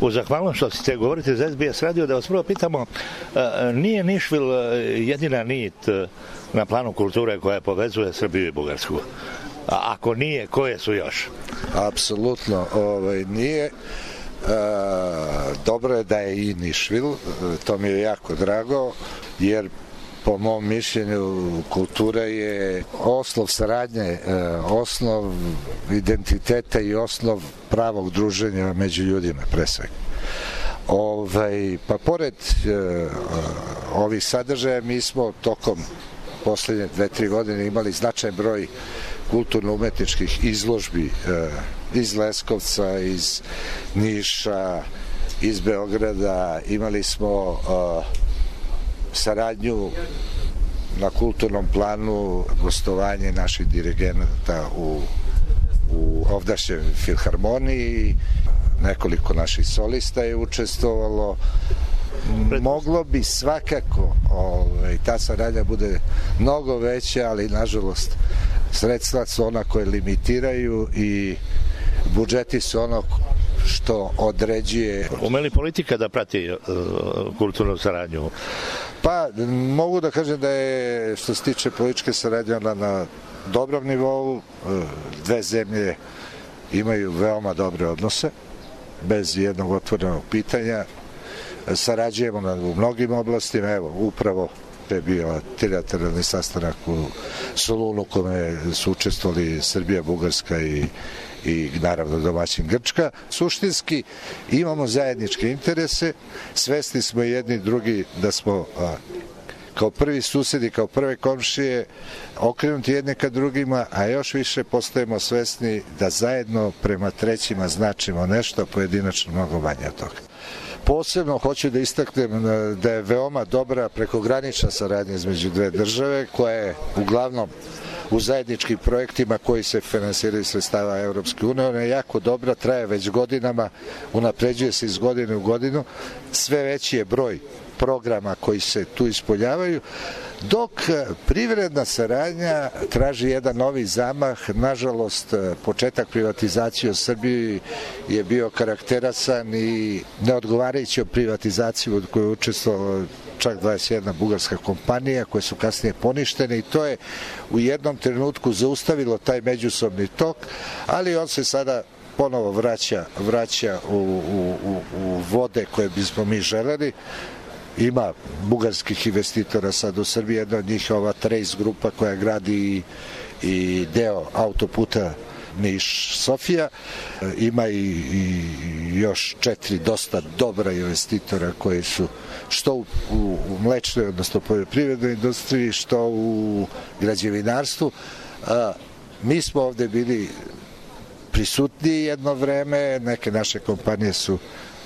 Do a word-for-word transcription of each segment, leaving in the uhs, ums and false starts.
U zahvalnost što ćete govoriti za S B S radio, da vas prvo pitamo, nije Nišvil jedina nit na planu kulture koja povezuje Srbiju i Bugarsku? A ako nije, koje su još? Apsolutno ovaj, nije. E, dobro je da je i Nišvil, to mi je jako drago, jer po mom mišljenju kultura je osnov saradnje, osnov identiteta i osnov pravog druženja među ljudima, pre svega. Ovaj, pa pored e, ovih sadržaja, mi smo tokom poslednje dve, tri godine imali značajan broj kulturno-umetničkih izložbi e, iz Leskovca, iz Niša, iz Beograda. Imali smo e, saradnju na kulturnom planu, gostovanje naših dirigenata u, u ovdašnjoj filharmoniji, nekoliko naših solista je učestvovalo. Moglo bi svakako ovaj, ta saradnja bude mnogo veća, ali nažalost sredstva su ona koje limitiraju i budžeti su ono što određuje. Ume li politika da prati uh, kulturnu saradnju? Pa, mogu da kažem da je, što se tiče političke saradnje, ona na dobrom nivou. Dve zemlje imaju veoma dobre odnose, bez jednog otvorenog pitanja. Sarađujemo na, u mnogim oblastima, evo, upravo je bio trilateralni sastanak u Solunu, kome su učestvovali Srbija, Bugarska i i naravno domaćin Grčka. Suštinski imamo zajedničke interese, svesni smo jedni drugi da smo a, kao prvi susedi, kao prve komšije okrenuti jedne ka drugima, a još više postajemo svesni da zajedno prema trećima značimo nešto, pojedinačno mnogo manje od toga. Posebno hoću da istaknem da je veoma dobra prekogranična saradnja između dve države, koja je uglavnom u zajedničkim projektima koji se finansiraju sredstava Evropske unije. Ona je jako dobra, traje već godinama, unapređuje se iz godine u godinu. Sve veći je broj programa koji se tu ispoljavaju, dok privredna saradnja traži jedan novi zamah. Nažalost, početak privatizacije u Srbiji je bio karakterasan i neodgovarajući privatizaciju od koje je učestvovalo čak dvadeset jedna bugarska kompanija, koje su kasnije poništene, i to je u jednom trenutku zaustavilo taj međusobni tok, ali on se sada ponovo vraća, vraća u, u, u, u vode koje bismo mi želeli. Ima bugarskih investitora sad u Srbiji, jedna od njih je ova Trace grupa koja gradi i, i deo autoputa Niš-Sofija. Ima i, i još četiri dosta dobra investitora koji su što u, u, u mlečnoj, odnosno poljoprivrednoj industriji, što u građevinarstvu. A, mi smo ovde bili prisutni jedno vreme, neke naše kompanije su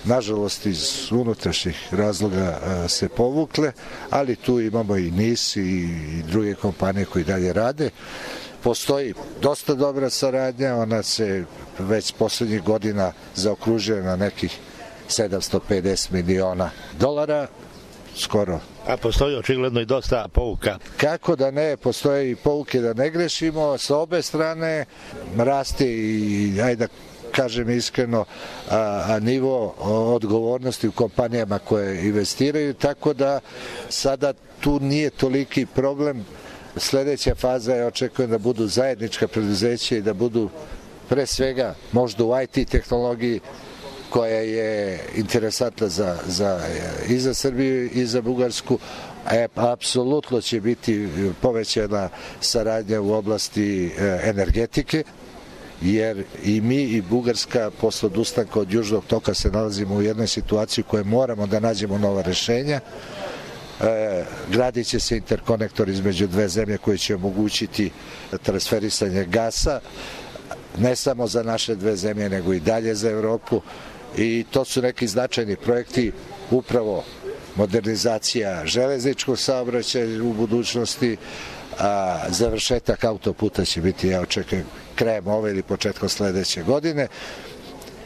nažalost iz unutrašnjih razloga a, se povukle, ali tu imamo i NIS i, i druge kompanije koji dalje rade. Postoji dosta dobra saradnja, ona se već poslednjih godina zaokružuje na nekih sedamsto pedeset miliona dolara, skoro. A postoji očigledno i dosta pouka. Kako da ne, postoje i pouke da ne grešimo, sa obe strane raste i, ajde da kažem iskreno, a, a nivo odgovornosti u kompanijama koje investiraju, tako da sada tu nije toliki problem. Sledeća faza je, očekujem da budu zajednička preduzeća i da budu pre svega možda u I T tehnologiji, koja je interesantna za, za, i za Srbiju i za Bugarsku. E, apsolutno će biti povećana saradnja u oblasti e, energetike, jer i mi i Bugarska posle odustanka od Južnog toka se nalazimo u jednoj situaciji u kojoj moramo da nađemo nova rešenja. E, gradit će se interkonektor između dve zemlje koji će omogućiti transferisanje gasa, ne samo za naše dve zemlje, nego i dalje za Evropu, i to su neki značajni projekti, upravo modernizacija železničkog saobraćaja u budućnosti, a završetak autoputa će biti, ja očekujem, krajem ove ili početkom sledeće godine.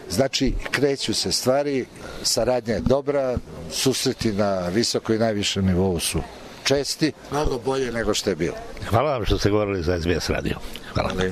Znači, kreću se stvari, saradnja je dobra, susreti na visoko i najvišem nivou su česti, mnogo bolje nego što je bilo. Hvala vam što ste govorili za S B S radio. Hvala. Hvala.